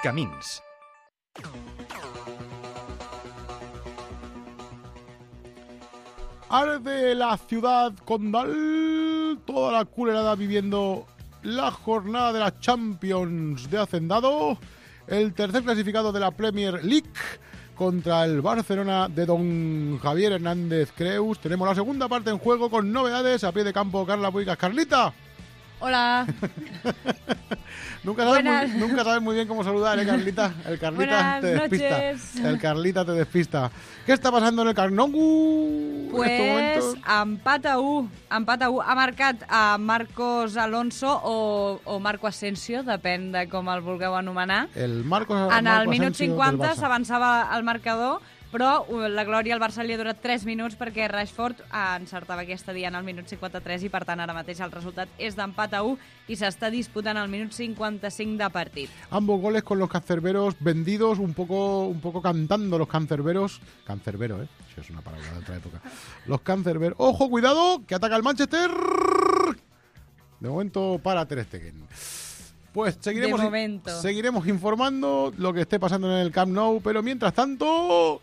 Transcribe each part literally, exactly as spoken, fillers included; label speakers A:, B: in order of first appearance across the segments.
A: Camins.
B: Arde la ciudad condal, toda la culerada viviendo la jornada de la Champions de Hacendado, el tercer clasificado de la Premier League contra el Barcelona de don Javier Hernández Creus. Tenemos la segunda parte en juego con novedades a pie de campo. Carla Puigas. Carlita.
C: Hola.
B: Nunca sabes, muy, nunca sabes muy bien cómo saludar, ¿eh, Carlita? El Carlita
C: Buenas
B: te despista.
C: noches.
B: El Carlita te despista. ¿Qué está pasando en el Camp Nou?
C: Pues empat a u. Empat a u. Ha marcat a Marcos Alonso o, o Marco Asensio, depèn de com el vulgueu anomenar.
B: El Marcos,
C: en el
B: Marco
C: minut
B: Asensio
C: cinquanta
B: del Barça.
C: s'avançava el marcador, però la glòria al Barça li ha durat tres minuts perquè Rashford encertava aquesta dia en el minut cinquanta-tres i per tant ara mateix el resultat és d'empat a u i s'està disputant el minut cinquanta-cinc de partit.
B: Ambos goles con los cancerberos vendidos, un poco, un poco cantando los cancerberos. Cancerbero, ¿eh? Eso es una palabra de otra época. Los cancerberos. ¡Ojo, cuidado! Que ataca el Manchester. De momento para Ter Stegen. Pues seguiremos,
C: De momento.
B: seguiremos informando lo que esté pasando en el Camp Nou, pero mientras tanto...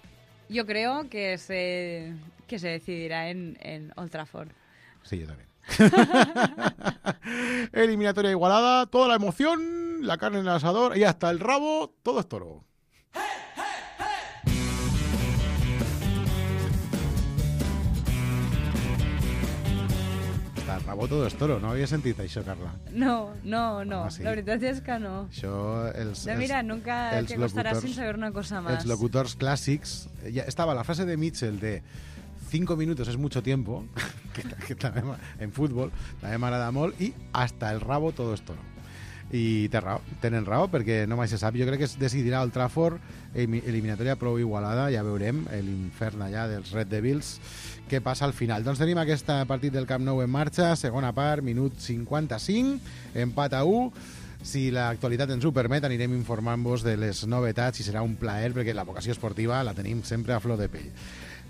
C: Yo creo que se, que se decidirá en, en Old Trafford.
B: Sí, yo también. Eliminatoria igualada, toda la emoción, la carne en el asador y hasta el rabo, todo es toro. Hasta el rabo todo es toro, no havia sentit això, Carla?
C: No, no, no.
B: Home, sí.
C: La veritat és que no.
B: Això, els,
C: No, mira, nunca
B: els
C: te costará
B: locutors-
C: sin saber una cosa más.
B: Els locutors clàssics, ja estava la frase de Mitchell de cinco minutos es mucho tiempo, que, que també, en futbol també m'agrada molt, i hasta el rabo todo es toro. I té raó, tenen raó, perquè no mai se sap. Jo crec que es decidirà el Trafford, eliminatòria prou igualada, ja veurem l'infern allà dels Red Devils, què passa al final. Doncs tenim aquest partit del Camp Nou en marxa, segona part, minut cinquanta-cinc, empat a u. Si l'actualitat ens ho permet, anirem informant-vos de les novetats i serà un plaer, perquè la vocació esportiva la tenim sempre a flor de pell.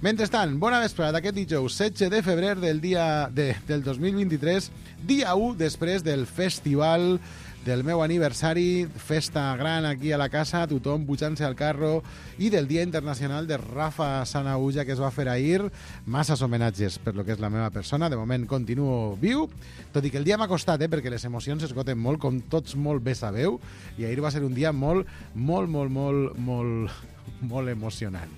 B: Mentrestant, bona vesprada d'aquest dijous setze de febrer del dia de, del dos mil vint-i-tres, dia u després del festival del meu aniversari, festa gran aquí a la casa, tothom pujant-se al carro, i del Dia Internacional de Rafa Sanauja, que es va fer ahir. Masses homenatges per lo que és la meva persona. De moment continuo viu, tot i que el dia m'ha costat, eh, perquè les emocions s'esgoten molt, com tots molt bé sabeu, i ahir va ser un dia molt, molt, molt, molt, molt, molt emocionant.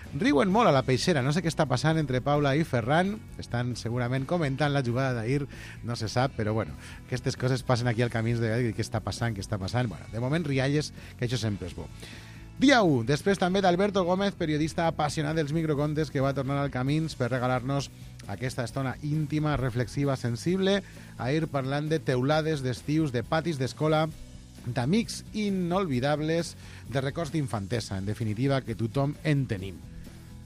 B: Riuen molt a la peixera, no sé què està passant entre Paula i Ferran, estan segurament comentant la jugada d'ahir, no se sap, però bueno, aquestes coses passen aquí al Camins de què està passant, què està passant. Bueno, de moment rialles, que això sempre és bo. Dia u, després també d'Alberto Gómez, periodista apassionat dels microcontes, que va tornar al Camins per regalar-nos aquesta estona íntima, reflexiva, sensible, ahir parlant de teulades, d'estius, de patis d'escola, d'amics inolvidables, de records d'infantesa, en definitiva, que tothom en tenim.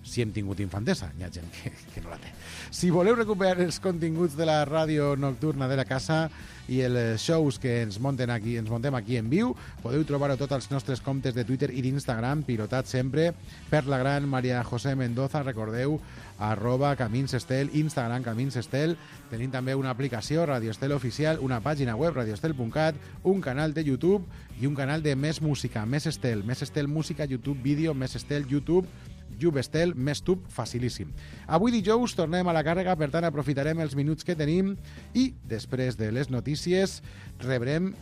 B: Si hem tingut infantesa, hi ha gent que, que no la té. Si voleu recuperar els continguts de la ràdio nocturna de la casa i els shows que ens monten aquí, ens montem aquí en viu, podeu trobar-ho tots als nostres comptes de Twitter i d'Instagram, pilotats sempre per la gran Maria José Mendoza, recordeu, arroba Camins Estel, Instagram Camins Estel. Tenim també una aplicació, Radio Estel Oficial, una pàgina web, radioestel punt cat, un canal de YouTube i un canal de Més Música, Més Estel, Més Estel Música, YouTube Vídeo, Més Estel YouTube, Jubestel, més tub, facilíssim. Avui dijous tornem a la càrrega, per tant aprofitarem els minuts que tenim i després de les notícies rebrem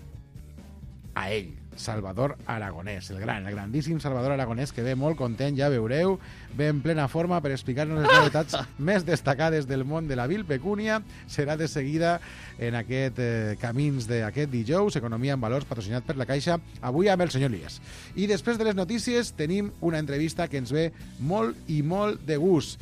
B: a ell, Salvador Aragonès, el gran, el grandíssim Salvador Aragonès, que ve molt content, ja veureu, ve en plena forma per explicar-nos les novetats més destacades del món de la vil pecúnia. Serà de seguida en aquest eh, Camins d'aquest dijous, Economia en Valors, patrocinat per la Caixa, avui amb el senyor Lías. I després de les notícies tenim una entrevista que ens ve molt i molt de gust.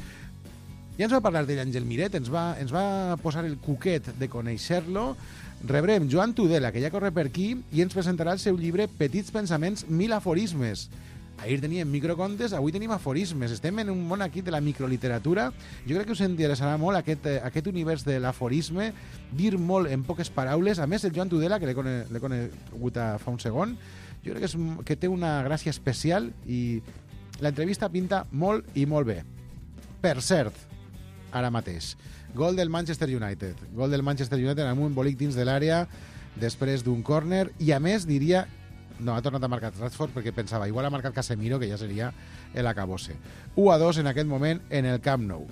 B: Ja ens va parlar d'ell Àngel Miret, ens va, ens va posar el cuquet de conèixer-lo. Rebrem Joan Tudela, que ja corre per aquí, i ens presentarà el seu llibre Petits pensaments, mil aforismes. Ahir teníem microcontes, avui tenim aforismes. Estem en un món aquí de la microliteratura. Jo crec que us interessarà molt aquest, aquest univers de l'aforisme, dir molt en poques paraules. A més, el Joan Tudela, que l'he cone, l'he conegut fa un segon, jo crec que, és, que té una gràcia especial i l'entrevista pinta molt i molt bé. Per cert, ara mateix, gol del Manchester United. Gol del Manchester United amb un embolic dins de l'àrea després d'un córner i, a més, diria No, ha tornat a marcar Rashford perquè pensava, igual ha marcat Casemiro, que ja seria el acabose. u a dos en aquest moment en el Camp Nou.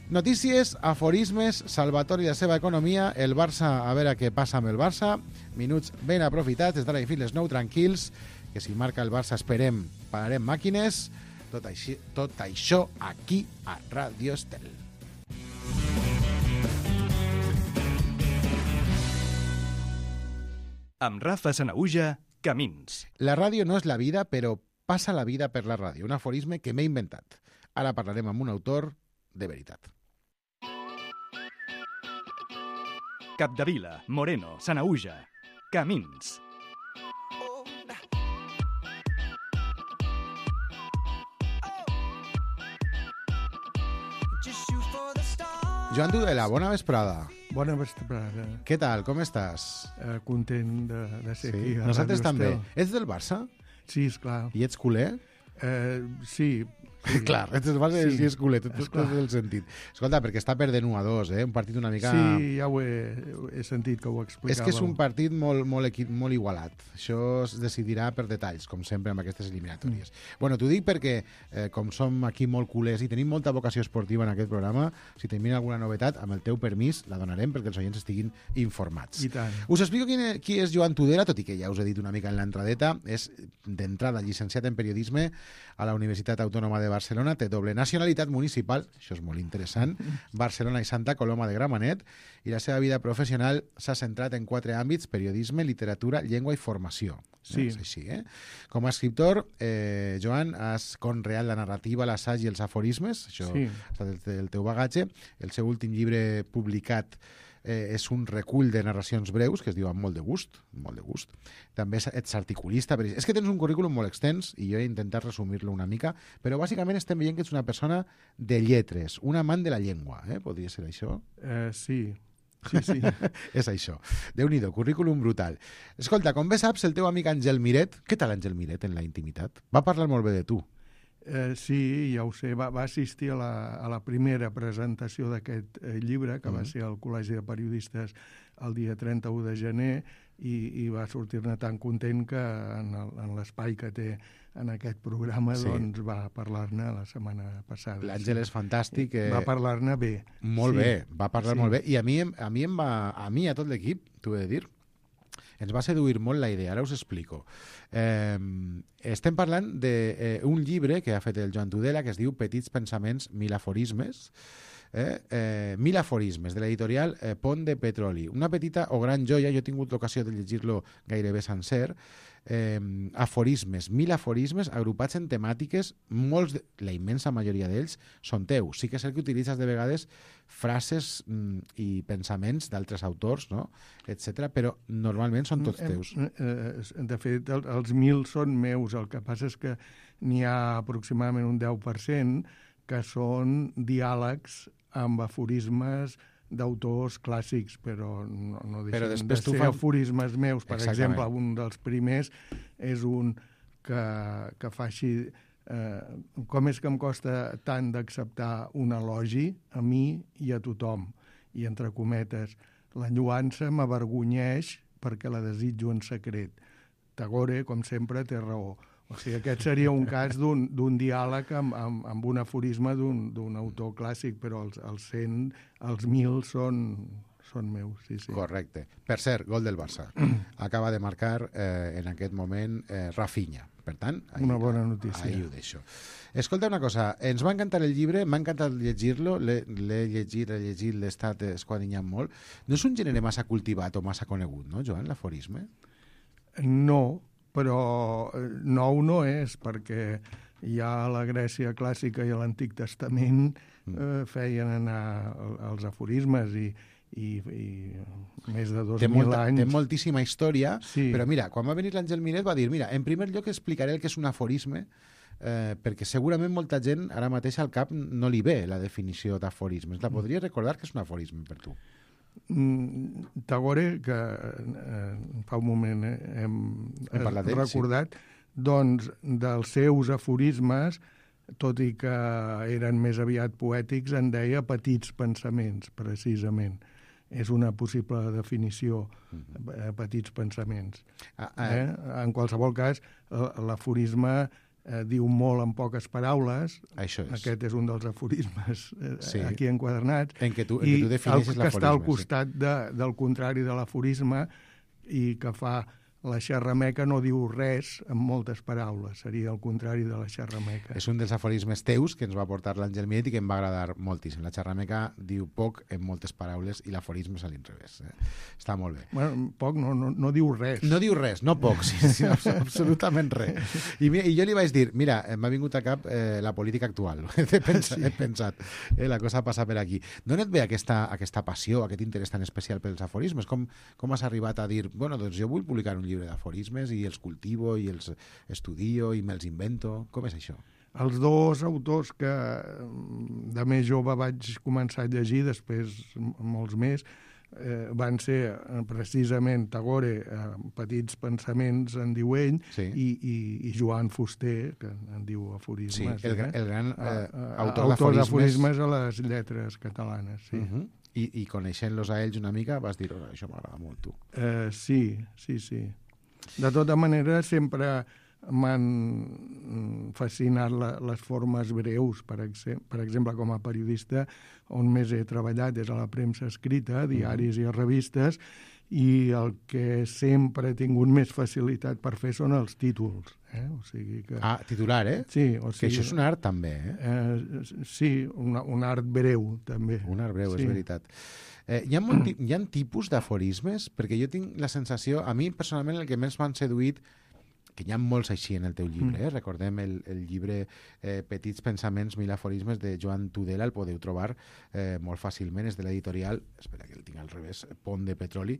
B: Notícies, aforismes, Salvatori i la seva economia, el Barça, a veure què passa amb el Barça, minuts ben aprofitats, des d'ara i fins les nou tranquils, que si marca el Barça esperem, pararem màquines, tot, així, tot això aquí a Ràdio Estel.
A: Amb Rafa Sanahuja, Camins.
B: La ràdio no és la vida, però passa la vida per la ràdio, un aforisme que m'he inventat. Ara parlarem amb un autor de veritat.
A: Capdevila, Moreno, Sanahuja, Camins.
B: Joan Tudela, bona vesprada.
D: Bona vesprada.
B: Què tal, com estàs?
D: Eh, content de, de ser
B: Sí,
D: aquí. a
B: nosaltres
D: Ràdio
B: també.
D: Estel.
B: Ets del Barça?
D: Sí, esclar.
B: I ets culer?
D: Eh, sí. sí.
B: Clar, ets del Barça i
D: Sí,
B: ets culer, tot, tot,
D: esclar.
B: tot el sentit. Escolta, perquè està perdent u a dos, eh? Un partit una mica...
D: Sí, ja ho he, he sentit que ho explicàveu.
B: És que és un partit molt, molt, equi... molt igualat. Això es decidirà per detalls, com sempre amb aquestes eliminatòries. Mm. Bueno, t'ho dic perquè, eh, com som aquí molt culers i tenim molta vocació esportiva en aquest programa, si tenim alguna novetat, amb el teu permís, la donarem perquè els oients estiguin informats.
D: I tant.
B: Us explico qui, qui és Joan Tudela, tot i que ja us he dit una mica en l'entradeta. És, d'entrada, llicenciat en periodisme a la Universitat Autònoma de Barcelona, té doble nacionalitat municipal, això és molt interessant, Barcelona i Santa Coloma de Gramenet, i la seva vida professional s'ha centrat en quatre àmbits: periodisme, literatura, llengua i formació.
D: Sí.
B: És així, eh? Com a escriptor, eh, Joan, has conreat la narrativa, l'assaig i els aforismes, això
D: Sí.
B: ha estat el, el teu bagatge. El seu últim llibre publicat eh, és un recull de narracions breus que es diu Amb molt de gust, molt de gust. També ets articulista. Per... És que tens un currículum molt extens i jo he intentat resumir-lo una mica, però bàsicament estem veient que ets una persona de lletres, un amant de la llengua, eh? Podria ser això?
D: Eh, sí. Sí, sí.
B: És això. Déu-n'hi-do, currículum brutal. Escolta, com bé saps, el teu amic Àngel Miret, què tal Àngel Miret en la intimitat? Va parlar molt bé de tu.
D: Eh, sí, ja ho sé. Va, va assistir a la, a la primera presentació d'aquest eh, llibre, que mm. va ser al Col·legi de Periodistes el dia trenta-u de gener, i, i va sortir-ne tan content que en el- en l'espai que té en aquest programa
B: Sí.
D: doncs va parlar-ne la setmana passada.
B: L'Àngel és fantàstic. Eh...
D: Va parlar-ne bé.
B: Molt
D: Sí.
B: bé, va parlar
D: Sí.
B: molt bé. I a mi, em- a mi em va, a mi a tot l'equip, t'ho he de dir, ens va seduir molt la idea, ara us explico. Eh, estem parlant d'un eh, un llibre que ha fet el Joan Tudela que es diu Petits pensaments, mil aforismes, eh? Eh, mil aforismes, de l'editorial eh, Pont de Petroli. Una petita o gran joia, jo he tingut l'ocasió de llegir-lo gairebé sencer, eh, aforismes, mil aforismes agrupats en temàtiques, molts, de, la immensa majoria d'ells són teus. Sí que és cert que utilitzes de vegades frases mm, i pensaments d'altres autors, no? etcètera, però normalment són tots teus.
D: Eh, eh, De fet, el, els mil són meus. El que passa és que n'hi ha aproximadament un deu per cent que són diàlegs amb aforismes d'autors clàssics, però no, no
B: Però
D: deixen
B: després
D: de
B: tu
D: ser
B: fa-
D: aforismes meus. Per
B: Exactament.
D: exemple, un dels primers és un que, que fa així... Eh, com és que em costa tant d'acceptar un elogi a mi i a tothom? I entre cometes, la lluança m'avergonyeix perquè la desitjo en secret. Tagore, com sempre, té raó. O sigui, aquest seria un cas d'un d'un diàleg amb, amb, amb un aforisme d'un d'un autor clàssic, però els, els cent, els mil són, són meus, sí, sí.
B: Correcte. Per cert, gol del Barça. Acaba de marcar eh, en aquest moment eh, Rafinha. Per tant, ahí,
D: Una bona notícia.
B: Ahí ho deixo. Escolta una cosa, ens va encantar el llibre, m'ha encantat llegir-lo, l'he l'he llegit, l'he llegit, l'he estat esquadrinyant molt. No és un gènere massa cultivat o massa conegut, no, Joan, l'aforisme?
D: No, però eh, nou no és, perquè ja a la Grècia clàssica i a l'Antic Testament eh, feien anar el- els aforismes i, i, i més de dos
B: Té,
D: mil
B: molta,
D: anys.
B: té moltíssima història,
D: Sí.
B: però mira, quan va venir l'Àngel Miret va dir, mira, en primer lloc explicaré el que és un aforisme, eh, perquè segurament molta gent ara mateix al cap no li ve la definició d'aforismes. La podries recordar que és un aforisme per tu?
D: Mm, Tagore, que eh, fa un moment eh, hem,
B: Hem parlat d'ell,
D: recordat, doncs dels seus aforismes, tot i que eren més aviat poètics, en deia petits pensaments, precisament. és una possible definició, eh, petits pensaments.
B: Ah, ah,
D: Eh? En qualsevol cas, l- l'aforisme eh, diu molt en poques paraules.
B: Això és.
D: Aquest és un dels aforismes eh,
B: Sí.
D: aquí enquadernats.
B: En què tu, en
D: I
B: què tu
D: el
B: defineixes
D: que està al
B: l'aforisme.
D: costat de, del contrari de l'aforisme i que fa la xerrameca no diu res amb moltes paraules. Seria el contrari de la xerrameca.
B: És un dels aforismes teus que ens va portar l'Àngel Miet i que em va agradar moltíssim. La xerrameca diu poc en moltes paraules i l'aforisme és a l'inrevés. Eh? Està molt bé.
D: Bueno, poc no, no, no diu res.
B: No diu res, no poc, sí, sí, abs- absolutament res. I, mi- I jo li vaig dir, mira, m'ha vingut a cap eh, la política actual. he, pensat, he pensat, eh, la cosa passa per aquí. D'on et ve aquesta, aquesta passió, aquest interès tan especial pels aforismes? Com, com has arribat a dir, bueno, doncs jo vull publicar un llibre d'aforismes i els cultivo i els estudio i me'ls invento? Com és això?
D: Els dos autors que mm, de més jove vaig començar a llegir, després m- molts més, eh, van ser eh, precisament Tagore, eh, Petits pensaments, en diu ell,
B: Sí.
D: i, i, i Joan Fuster, que en diu
B: Sí,
D: aforismes.
B: el, gra- el gran eh,
D: Eh,
B: autor
D: autor
B: d'aforismes.
D: d'aforismes a les lletres catalanes, sí.
B: Uh -huh. I, I coneixent-los a ells una mica vas dir, oh, això m'agrada molt, tu.
D: Eh, sí, sí, sí. De tota manera, sempre m'han fascinat la, les formes breus, per, exem per exemple, com a periodista, on més he treballat és a la premsa escrita, diaris i revistes, i el que sempre he tingut més facilitat per fer són els títols. Eh? O sigui que...
B: Ah, titular, eh?
D: Sí, o
B: Que
D: sigui,
B: això és un art, també, eh?
D: Eh, sí, una, un art breu, també.
B: Un art breu,
D: sí.
B: és veritat. Eh, hi, ha molt, ti- hi ha tipus d'aforismes? Perquè jo tinc la sensació, a mi personalment el que més m'han seduït, que hi ha molts així en el teu llibre, eh? Recordem el, el llibre eh, Petits pensaments, mil aforismes de Joan Tudela, el podeu trobar eh, molt fàcilment, és de l'editorial, espera que el tinc al revés, Pont de Petroli.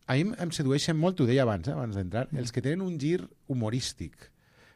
B: A mi em- em sedueixen molt, t'ho deia abans, eh, abans d'entrar, els que tenen un gir humorístic,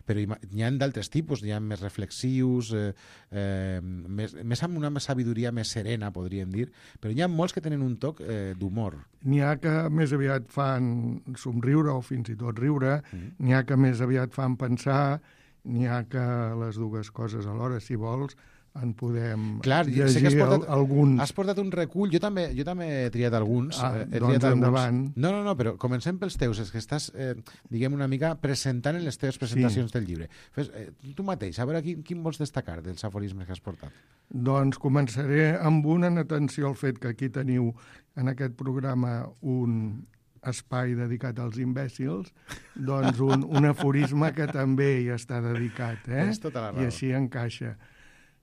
B: però hi ma- n'hi ha d'altres tipus, n'hi ha més reflexius, eh, eh, més, més amb una sabidoria més serena, podríem dir, però hi ha molts que tenen un toc eh, d'humor.
D: N'hi ha que més aviat fan somriure o fins i tot riure,
B: Mm.
D: n'hi ha que més aviat fan pensar, n'hi ha que les dues coses alhora, si vols, en podem
B: Clar, jo sé
D: llegir
B: que has portat-
D: al, alguns.
B: Has portat un recull, jo també, jo també he triat alguns.
D: Ah,
B: eh, he
D: doncs
B: triat alguns.
D: endavant.
B: No, no, no, però comencem pels teus, és que estàs, eh, diguem, una mica presentant en les teves presentacions del llibre. Fes, eh, tu mateix, a veure quin, quin vols destacar dels aforismes que has portat.
D: Doncs començaré amb una, en atenció al fet que aquí teniu en aquest programa un espai dedicat als imbècils, doncs un, un aforisme que també hi està dedicat, eh?
B: Tens tota la raó.
D: I així encaixa.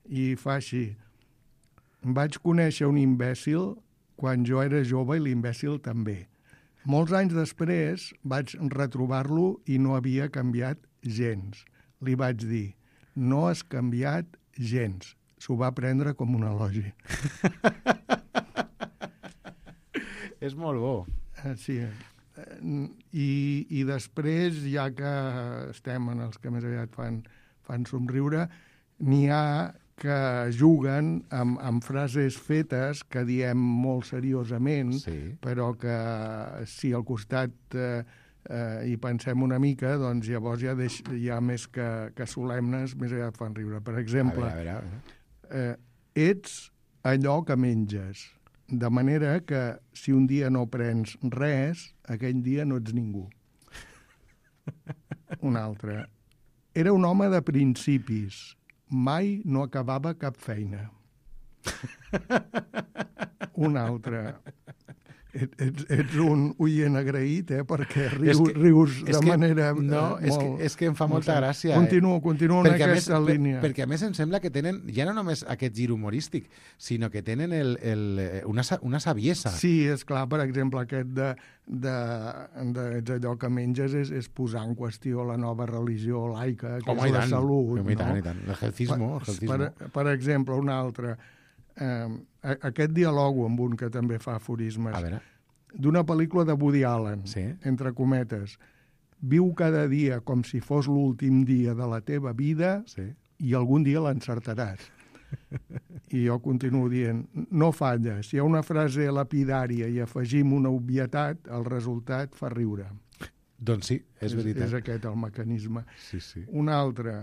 D: I fa així. Vaig conèixer un imbècil quan jo era jove i l'imbècil també. Molts anys després vaig retrobar-lo i no havia canviat gens. Li vaig dir, no has canviat gens. S'ho va prendre com un elogi.
B: És molt bo.
D: Eh, Sí. Eh, I, I després, ja que estem en els que més aviat fan, fan somriure, n'hi ha que juguen amb, amb frases fetes que diem molt seriosament,
B: Sí.
D: però que si al costat eh, eh, hi pensem una mica, doncs llavors ja, deix, ja més que, que solemnes, més aviat fan riure. Per
B: A
D: exemple,
B: veure, a veure, a veure.
D: eh, ets allò que menges, de manera que si un dia no prens res, aquell dia no ets ningú. Un altre. Era un home de principis. Mai no acabava cap feina. Un altre. Et, ets, ets un oient agraït, eh? Perquè rius,
B: És que-
D: rius
B: és
D: de
B: que-
D: manera
B: no,
D: eh,
B: és que-
D: molt...
B: és que em fa molta
D: molt-
B: gràcia, eh?
D: Continuo, continuo en
B: Perquè a, més,
D: aquesta
B: per,
D: línia.
B: perquè a més em sembla que tenen, ja no només aquest gir humorístic, sinó que tenen el, el, eh, una, sa- una saviesa.
D: Sí, és clar, per exemple, aquest de, de, de ets allò que menges és, és posar en qüestió la nova religió laica, que
B: Home,
D: és
B: i
D: la
B: tant.
D: salut.
B: Home, i tant,
D: no?
B: i tant. El gelcismo, el gelcismo.
D: Per, per exemple, un altre, eh, a- aquest dialogo amb un que també fa aforismes,
B: A veure,
D: d'una pel·lícula de Woody Allen,
B: Sí.
D: entre cometes, viu cada dia com si fos l'últim dia de la teva vida
B: sí.
D: i algun dia l'encertaràs. I jo continuo dient, no falla, si hi ha una frase lapidària i afegim una obvietat, el resultat fa riure.
B: Doncs sí, és,
D: És,
B: veritat.
D: és aquest el mecanisme.
B: Sí, sí.
D: Un altre,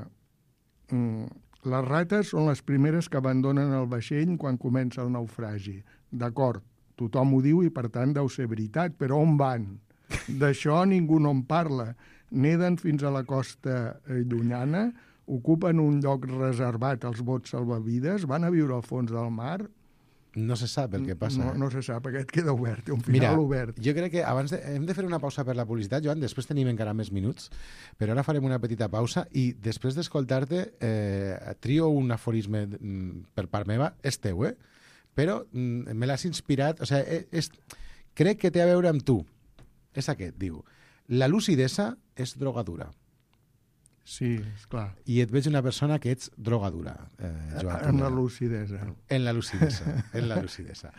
D: mm, les rates són les primeres que abandonen el vaixell quan comença el naufragi. D'acord, tothom ho diu i, per tant, deu ser veritat. Però on van? D'això ningú no en parla. Neden fins a la costa llunyana, ocupen un lloc reservat als bots salvavides, van a viure al fons del mar.
B: No se sap el que passa.
D: No,
B: eh?
D: no se sap, aquest queda obert, té un final
B: Mira,
D: obert.
B: jo crec que abans de, hem de fer una pausa per la publicitat, Joan, després tenim encara més minuts, però ara farem una petita pausa i després d'escoltar-te eh, trio un aforisme mm, per part meva, és teu, eh? Però mm, me l'has inspirat, o sigui, és, crec que té a veure amb tu. És aquest, diu. La lucidesa és drogadura.
D: Sí, esclar.
B: I et veig una persona que ets drogadura, eh, Joan.
D: En la lucidesa.
B: En la lucidesa, en la lucidesa.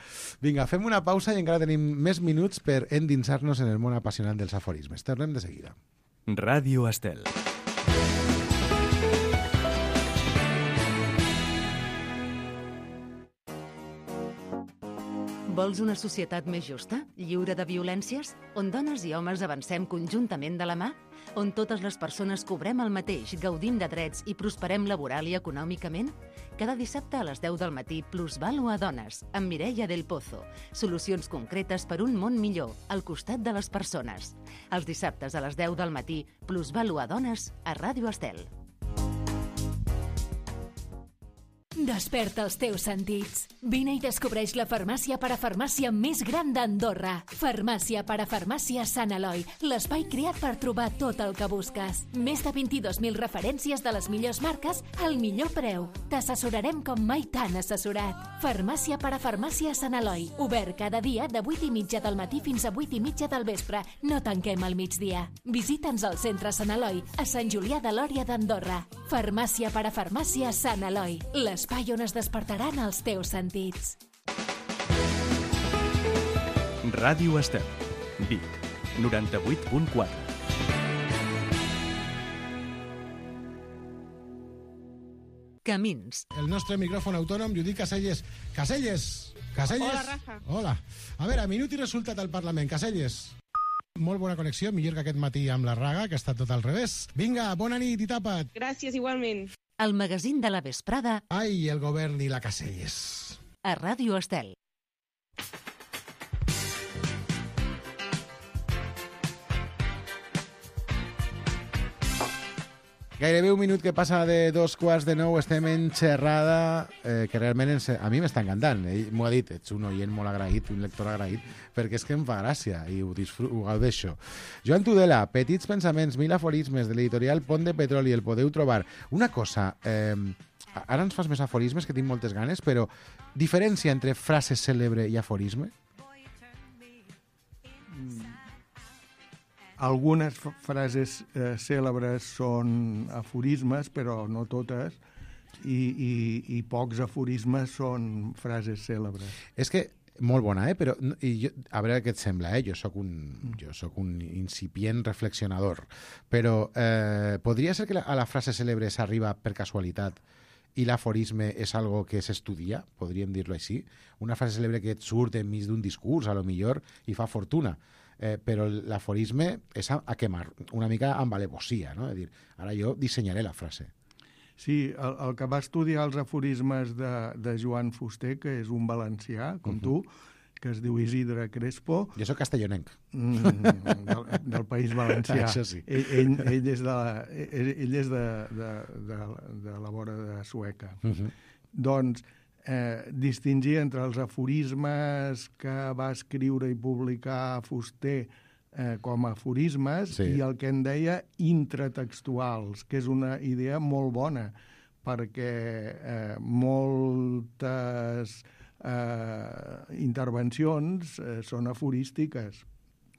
B: Vinga, fem una pausa i encara tenim més minuts per endinsar-nos en el món apassionant dels aforismes. Tornem de seguida.
A: Ràdio Estel.
E: Vols una societat més justa, lliure de violències, on dones i homes avancem conjuntament de la mà? On totes les persones cobrem el mateix, gaudim de drets i prosperem laboral i econòmicament? Cada dissabte a les deu del matí, Plusvalua Dones, amb Mireia del Pozo. Solucions concretes per un món millor, al costat de les persones. Els dissabtes a les deu del matí, Plusvalua Dones, a Ràdio Estel.
F: Desperta els teus sentits. Vine i descobreix la farmàcia parafarmàcia més gran d'Andorra. Farmàcia parafarmàcia Sant Eloi, l'espai creat per trobar tot el que busques. Més de vint-i-dos mil referències de les millors marques al millor preu. T'assessorarem com mai t'han assessorat. Farmàcia parafarmàcia Sant Eloi, obert cada dia de vuit i mitja del matí fins a vuit i mitja del vespre. No tanquem al migdia. Visita'ns al centre Sant Eloi, a Sant Julià de Lòria d'Andorra. Farmàcia parafarmàcia Sant Eloi, l'espai on es despertaran els teus sentits.
A: Ràdio Estel. Vic, noranta-vuit punt quatre.
E: Camins.
B: El nostre micròfon autònom, Judit Caselles. Caselles! Caselles!
G: Hola, Rafa.
B: Hola. A veure, minut i resultat al Parlament. Caselles. Molt bona connexió, millor que aquest matí amb la Raga, que ha estat tot al revés. Vinga, bona nit i tapa't.
G: Gràcies, igualment.
E: El magazín de la vesprada
B: Ai, el govern i la Caselles.
E: a Ràdio Estel.
B: Gairebé un minut que passa de dos quarts de nou, estem en xerrada, eh, que realment ens, a mi m'està encantant. Ell m'ho ha dit, ets un oient molt agraït, un lector agraït, perquè és que em fa gràcia i ho, disfruto, ho gaudeixo. Joan Tudela, Petits pensaments, mil aforismes, de l'editorial Pont de Petroli, el podeu trobar. Una cosa, eh, ara ens fas més aforismes, que tinc moltes ganes, però diferència entre frase cèlebre i aforisme?
D: Algunes f- frases eh, cèlebres són aforismes, però no totes, i, i, i pocs aforismes són frases cèlebres.
B: És que, molt bona, eh? Però, no- i jo, a veure què et sembla, eh? Jo sóc un, jo sóc un incipient reflexionador, però eh, podria ser que la, a la frase cèlebre s'arriba per casualitat i l'aforisme és algo que s'estudia, podríem dir-lo així. Una frase cèlebre que et surt enmig d'un discurs, a lo millor, i fa fortuna. Eh, però l'aforisme és a, a quemar, una mica amb alevosia, no? És dir, ara jo dissenyaré la frase.
D: Sí, el, el que va estudiar els aforismes de, de Joan Fuster, que és un valencià, com
B: Mhm.
D: tu, que es diu Isidre Crespo,
B: Jo sóc castellonenc.
D: mm, del, del País Valencià.
B: Això sí.
D: Ell, ell, ell és, de, la- ell, ell és de, de, de, de la vora de Sueca.
B: Uh -huh.
D: Doncs eh, distingir entre els aforismes que va escriure i publicar Fuster eh, com a aforismes
B: Sí.
D: i el que en deia intratextuals, que és una idea molt bona, perquè eh, moltes eh, intervencions eh, són aforístiques.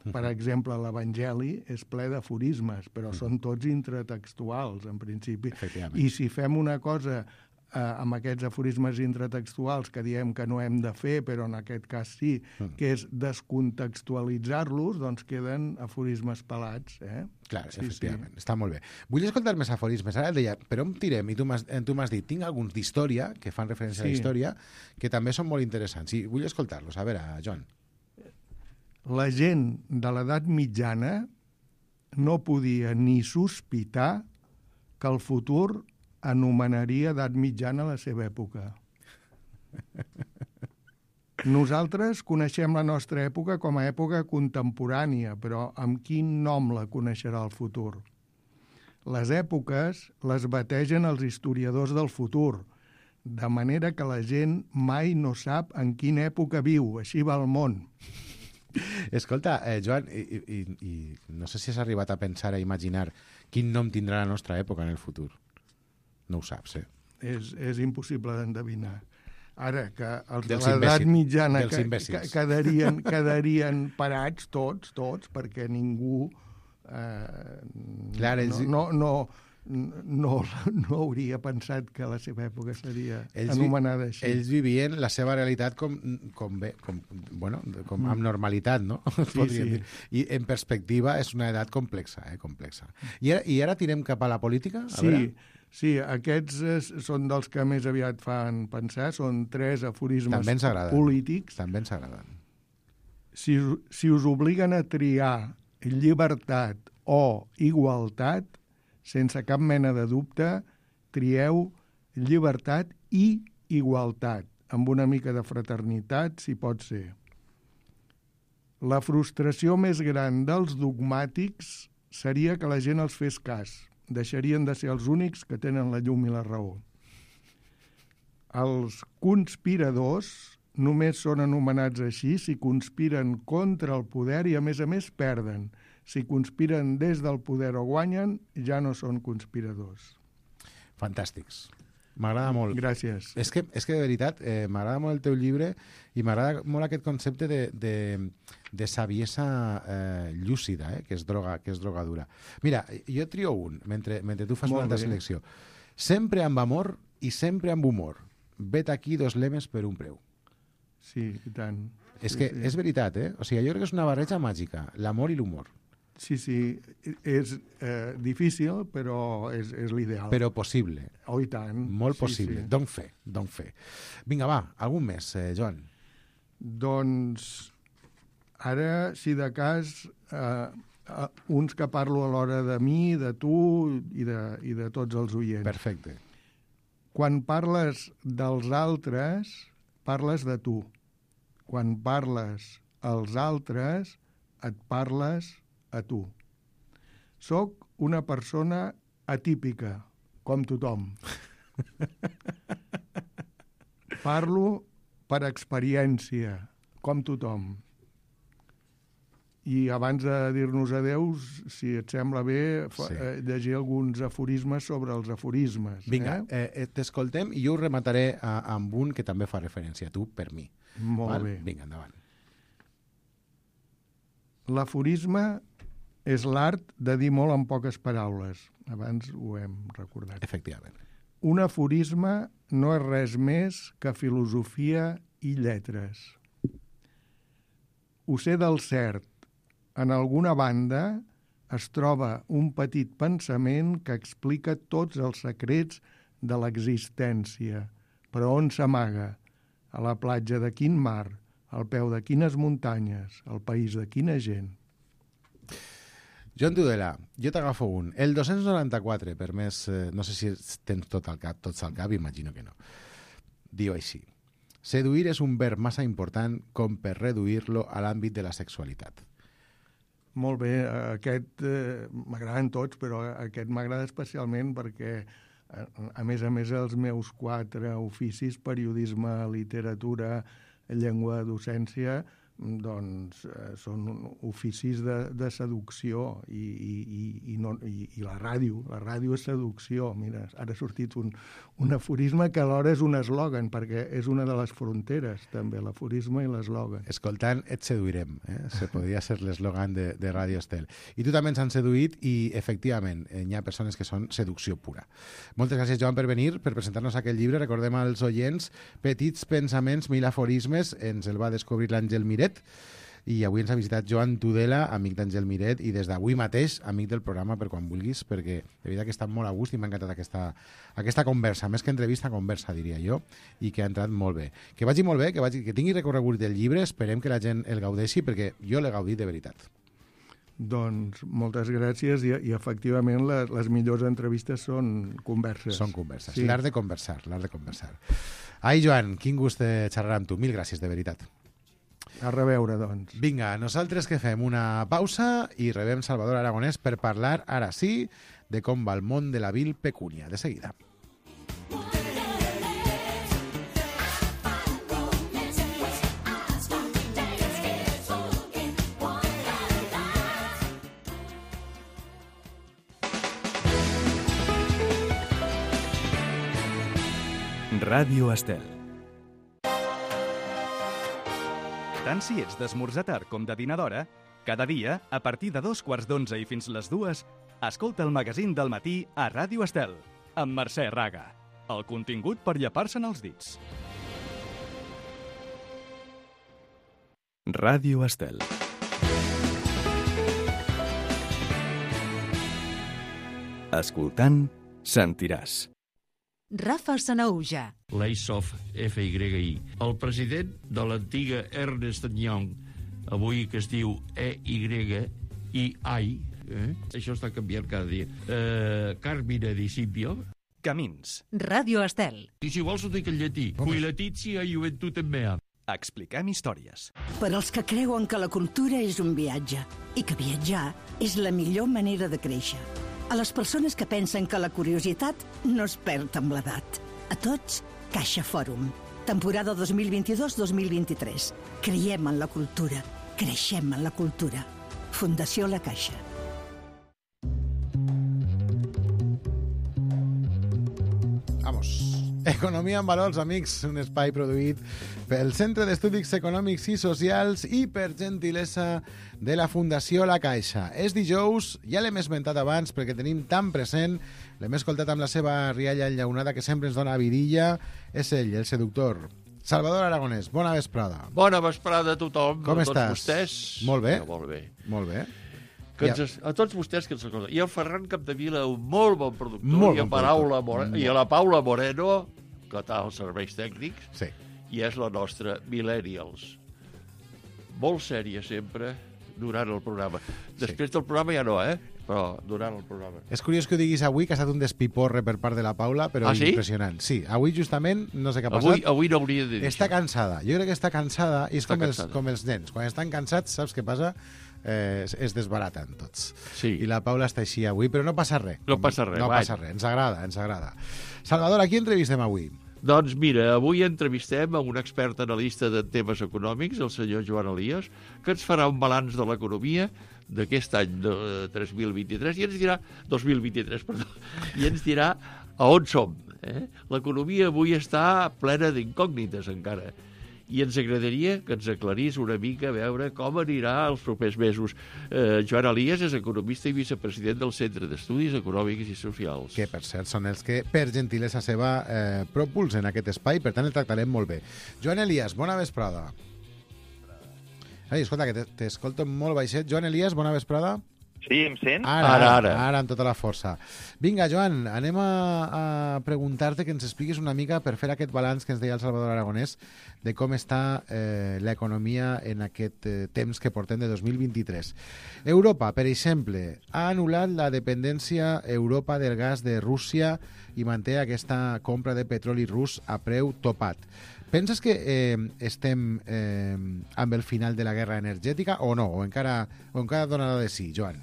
D: Per exemple, l'Evangeli és ple d'aforismes, però són tots intratextuals, en principi.
B: Efectivament.
D: I si fem una cosa eh, amb aquests aforismes intratextuals que diem que no hem de fer, però en aquest cas sí,
B: Mm.
D: que és descontextualitzar-los, doncs queden aforismes pelats. Eh?
B: Clar,
D: Sí,
B: efectivament, està molt bé. Vull escoltar més aforismes. Ara et deia, per on tirem? I tu m'has eh, tu m'has dit, tinc alguns d'història, que fan referència a la
D: Sí.
B: història, que també són molt interessants. I vull escoltar-los. A veure, Joan.
D: La gent de l'edat mitjana no podia ni sospitar que el futur anomenaria edat mitjana la seva època. Nosaltres coneixem la nostra època com a època contemporània, però amb quin nom la coneixerà el futur? Les èpoques les bategen els historiadors del futur, de manera que la gent mai no sap en quina època viu, així va el món.
B: Escolta, eh, Joan, i, i, i no sé si has arribat a pensar, a imaginar quin nom tindrà la nostra època en el futur. No ho saps, eh?
D: És, és impossible d'endevinar. Ara, que els
B: Dels
D: de l'edat
B: imbècils.
D: mitjana
B: Dels
D: que,
B: imbècils.
D: que, quedarien, quedarien parats tots, tots, perquè ningú eh,
B: Clar, ells-
D: no, no, no, no, no hauria pensat que la seva època seria
B: Ells vi-
D: anomenada així.
B: Ells vivien la seva realitat com, com bé, com, bueno, com amb normalitat, no?
D: Sí, sí.
B: Dir. I en perspectiva és una edat complexa, eh? complexa. I ara, i ara tirem cap a la política? A
D: Sí,
B: veure.
D: sí, aquests és, són dels que més aviat fan pensar, són tres aforismes
B: També ens agraden.
D: polítics.
B: També ens agraden.
D: Si, si us obliguen a triar llibertat o igualtat, sense cap mena de dubte, trieu llibertat i igualtat, amb una mica de fraternitat, si pot ser. La frustració més gran dels dogmàtics seria que la gent els fes cas. Deixarien de ser els únics que tenen la llum i la raó. Els conspiradors només són anomenats així si conspiren contra el poder i, a més a més, perden. Si conspiren des del poder o guanyen, ja no són conspiradors.
B: Fantàstics. M'agrada molt.
D: Gràcies.
B: És que, és que de veritat, eh, m'agrada molt el teu llibre i m'agrada molt aquest concepte de, de, de saviesa eh, llúcida, eh, que és droga, que és drogadura. Mira, jo trio un, mentre, mentre tu fas
D: Molt
B: una altra
D: bé.
B: selecció. Sempre amb amor i sempre amb humor. Vet aquí dos lemes per un preu.
D: Sí, i tant.
B: És
D: sí,
B: que
D: sí.
B: és veritat, eh? O sigui, jo crec que és una barreja màgica, l'amor i l'humor.
D: Sí, sí, és eh, difícil, però és, és l'ideal.
B: Però possible.
D: Oh, i tant.
B: Molt
D: sí,
B: possible.
D: Sí.
B: Don fe, don fe. Vinga, va, algun més, eh, Joan.
D: Doncs ara, si de cas, eh, eh, uns que parlo alhora de mi, de tu i de, i de tots els oients.
B: Perfecte.
D: Quan parles dels altres, parles de tu. Quan parles als altres, et parles a tu. Soc una persona atípica, com tothom. Parlo per experiència, com tothom. I abans de dir-nos adeu, si et sembla bé, fa,
B: Sí.
D: eh, llegir alguns aforismes sobre els aforismes.
B: Vinga,
D: Eh?
B: eh, eh, t'escoltem i jo ho remataré a, amb un que també fa referència a tu, per mi.
D: Molt
B: Val?
D: bé.
B: Vinga, endavant.
D: L'aforisme és l'art de dir molt en poques paraules. Abans ho hem recordat.
B: Efectivament.
D: Un aforisme no és res més que filosofia i lletres. Ho sé del cert. En alguna banda es troba un petit pensament que explica tots els secrets de l'existència. Però on s'amaga? A la platja de quin mar? Al peu de quines muntanyes? Al país de quina gent?
B: Joan Tudela, jo t'agafo un. El dos-cents noranta-quatre, per més... Eh, no sé si tens tot al cap, tots al cap, imagino que no. Diu així. Seduir és un verb massa important com per reduir-lo a l'àmbit de la sexualitat.
D: Molt bé, aquest eh, m'agraden tots, però aquest m'agrada especialment perquè, a, a més a més, els meus quatre oficis, periodisme, literatura, llengua, docència, doncs eh, són oficis de, de seducció i, i, i, no, i, i la ràdio, la ràdio és seducció. Mira, ara ha sortit un, un aforisme que alhora és un eslògan, perquè és una de les fronteres, també, l'aforisme i l'eslògan.
B: Escoltant, et seduirem. Eh? Se podria ser l'eslògan de, de Ràdio Estel. I tu també ens han seduït i, efectivament, eh, hi ha persones que són seducció pura. Moltes gràcies, Joan, per venir, per presentar-nos aquest llibre. Recordem als oients, Petits pensaments, mil aforismes, ens el va descobrir l'Àngel Miret, i avui ens ha visitat Joan Tudela, amic d'Àngel Miret, i des d'avui mateix, amic del programa per quan vulguis, perquè de veritat que està molt a gust i m'ha encantat aquesta, aquesta conversa, més que entrevista, conversa, diria jo, i que ha entrat molt bé. Que vagi molt bé, que, vagi, que tingui recorregut del llibre, esperem que la gent el gaudeixi, perquè jo l'he gaudit de veritat.
D: Doncs moltes gràcies i, i efectivament les, les millors entrevistes són converses.
B: Són converses.
D: Sí.
B: L'art de conversar, l'art de conversar. Ai, Joan, quin gust de xerrar amb tu. Mil gràcies, de veritat.
D: A reveure, doncs.
B: Vinga, nosaltres que fem una pausa i rebem Salvador Aragonès per parlar, ara sí, de com va el món de la vil pecúnia. De seguida.
A: Ràdio Estel. Tant si ets d'esmorzar tard com de dinar d'hora, cada dia, a partir de dos quarts d'onze i fins les dues, escolta el magazín del matí a Ràdio Estel, amb Mercè Raga. El contingut per llepar-se'n els dits. Ràdio Estel. Escoltant, sentiràs.
E: Rafa Sanaúja.
G: L'Aisov F Y I. El president de l'antiga Ernst Young, avui que es diu E Y I I, eh? Això està canviant cada dia. Eh, Carmine Di Scipio.
A: Camins.
E: Ràdio Estel.
G: I si vols ho dic en llatí. Cui letitia juventutem mea.
A: Expliquem històries.
H: Per als que creuen que la cultura és un viatge i que viatjar és la millor manera de créixer. A les persones que pensen que la curiositat no es perd amb l'edat. A tots, Caixa Fòrum. Temporada dos mil vint-i-dos dos mil vint-i-tres. Creiem en la cultura. Creixem en la cultura. Fundació La Caixa.
B: Vamos. Economia en valors, amics, un espai produït pel Centre d'Estudis Econòmics i Socials i per gentilesa de la Fundació La Caixa. És dijous, ja l'hem esmentat abans perquè tenim tan present, l'hem escoltat amb la seva rialla enllaunada que sempre ens dona vidilla, és ell, el seductor. Salvador Aragonès, bona vesprada.
G: Bona vesprada a tothom.
B: Com
G: a tots
B: estàs?
G: Vostès.
B: Molt bé.
G: Ja, molt bé.
B: Molt bé.
G: Que
B: Ja.
G: ens, a tots vostès que ens escolten. I el Ferran Capdevila, un molt bon productor,
B: Molt
G: i, a
B: bon
G: Paula
B: productor.
G: More... i a la Paula Moreno, que està als serveis tècnics,
B: Sí.
G: i és la nostra Millennials. Molt sèria sempre durant el programa. Després del programa ja no, eh? Però durant el programa.
B: És curiós que ho diguis avui, que ha estat un despiporre per part de la Paula, però
G: Ah, sí?
B: impressionant. Sí, avui justament, no sé què ha passat.
G: Avui, avui no hauria de dir
B: Està
G: això.
B: cansada. Jo crec que està cansada i és
G: Està
B: com els,
G: cansada.
B: com els nens. Quan estan cansats, saps què passa? Eh, es, es desbaraten tots.
G: Sí.
B: I la Paula està així avui, però no passa res.
G: No passa res,
B: No
G: vai.
B: passa res, ens agrada, ens agrada. Salvador, a qui entrevistem avui?
G: Doncs mira, avui entrevistem a un expert analista de temes econòmics, el senyor Joan Elias, que ens farà un balanç de l'economia d'aquest any de tres mil vint-i-tres i ens dirà, dos mil vint-i-tres, perdó, i ens dirà a on som. Eh? L'economia avui està plena d'incògnites encara. I ens agradaria que ens aclarís una mica a veure com anirà els propers mesos. Eh, Joan Elias és economista i vicepresident del Centre d'Estudis Econòmics i Socials.
B: Que, per cert, són els que, per gentilesa seva, eh, propulsen aquest espai, per tant, el tractarem molt bé. Joan Elias, bona vesprada. Ai, escolta, que t'escolto molt baixet. Joan Elias, bona vesprada.
I: Sí, em sent?
B: Ara,
G: Ara,
B: ara,
G: ara.
B: ara, amb tota la força. Vinga, Joan, anem a, a preguntar-te que ens expliquis una mica per fer aquest balanç que ens deia el Salvador Aragonès de com està eh, l'economia en aquest eh, temps que portem de dos mil vint-i-tres. Europa, per exemple, ha anul·lat la dependència Europa del gas de Rússia i manté aquesta compra de petroli rus a preu topat. Penses que eh, estem eh, amb el final de la guerra energètica o no? O encara, o encara donarà de sí, Joan?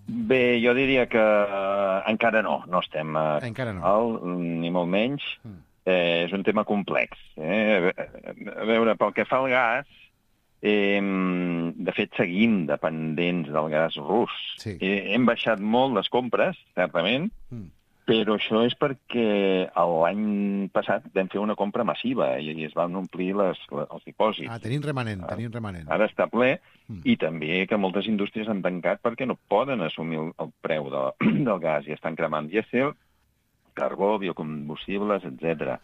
I: Bé, jo diria que eh, encara no, no estem a
B: Encara no.
I: alt, ni molt menys.
B: Mm.
I: Eh, és un tema complex. Eh? A veure, pel que fa al gas, eh, de fet seguim dependents del gas rus.
B: Sí.
I: Eh, hem baixat molt les compres, certament,
B: Mm.
I: però això és perquè l'any passat vam fer una compra massiva i, i es van omplir les, les, els dipòsits.
B: Ah, tenim remanent, tenim remanent.
I: Ara està ple,
B: Mm.
I: i també que moltes indústries han tancat perquè no poden assumir el, el preu de, del gas i estan cremant dièsel, carbó, biocombustibles, etcètera.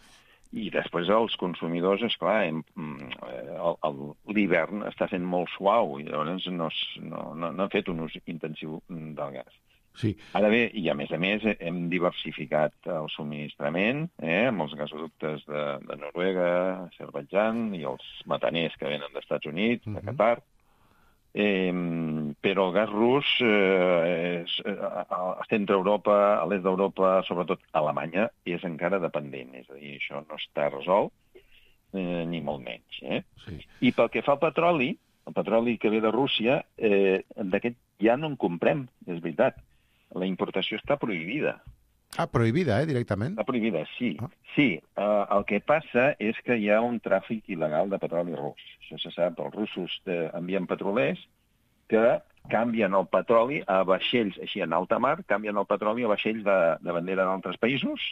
I: I després els consumidors, esclar, hem- mm, el- el- l'hivern està sent molt suau i llavors no, s- no, no, no han fet un ús intensiu del gas.
G: Sí.
I: Ara bé, i a més a més, hem diversificat el subministrament eh, amb els gasoductes de, de Noruega, Azerbaidjan i els metaners que venen dels Estats Units, de
B: Mhm.
I: Qatar. Eh, però el gas rus, eh, és, a centre-Europa, a l'est d'Europa, sobretot a Alemanya, és encara dependent. És a dir, això no està resolt, eh, ni molt menys. Eh?
G: Sí.
I: I pel que fa al petroli, el petroli que ve de Rússia, eh, d'aquest ja no en comprem, és veritat. La importació està prohibida.
B: Ah, prohibida, eh, directament?
I: Està prohibida, sí.
B: Ah.
I: Sí, eh, el que passa és que hi ha un tràfic il·legal de petroli rus. Això se sap, els russos eh, envien petrolers que canvien el petroli a vaixells, així en alta mar, canvien el petroli a vaixells de, de bandera d'altres països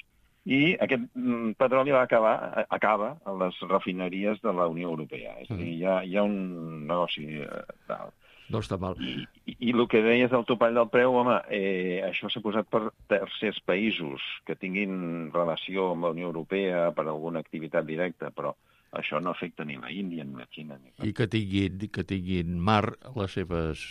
I: i aquest mm, petroli va acabar, acaba a les refineries de la Unió Europea. És a dir, hi ha, hi ha un negoci eh, tal.
G: No està mal.
I: I, i, I el que deies del topall del preu, home, eh, això s'ha posat per tercers països que tinguin relació amb la Unió Europea per alguna activitat directa, però això no afecta ni la Índia ni la Xina. Ni
G: I que tinguin, que tinguin mar a les seves...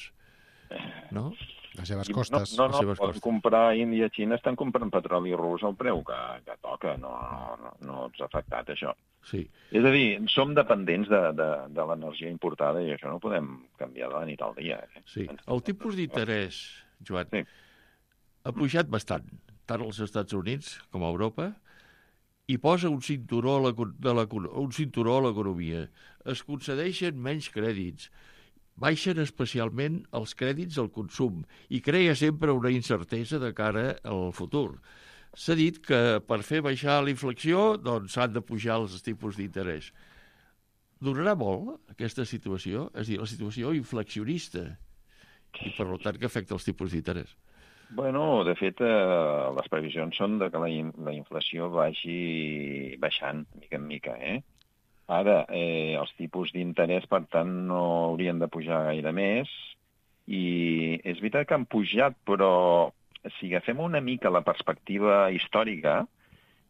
G: No?
B: Les seves costes.
I: No, no,
G: les
I: no
G: seves
I: pots
G: costes.
I: comprar Índia i Xina, estan comprant petroli rus al preu que, que toca, no, no, no ens ha afectat això.
G: Sí.
I: És a dir, som dependents de, de, de l'energia importada i això no ho podem canviar de la nit al dia. Eh?
G: Sí. El tipus d'interès, Joan,
I: Sí.
G: ha pujat bastant, tant als Estats Units com a Europa, i posa un cinturó a l'eco- de l'eco- un cinturó a l'economia. Es concedeixen menys crèdits, baixen especialment els crèdits al consum i crea sempre una incertesa de cara al futur. S'ha dit que per fer baixar la inflació doncs s'han de pujar els tipus d'interès. Durarà molt aquesta situació? És a dir, la situació inflacionista i per tant que afecta els tipus d'interès.
I: Bueno, de fet, eh, les previsions són de que la, in la inflació vagi baixant mica en mica, eh? Ara, eh, els tipus d'interès, per tant, no haurien de pujar gaire més, i és veritat que han pujat, però si agafem una mica la perspectiva històrica,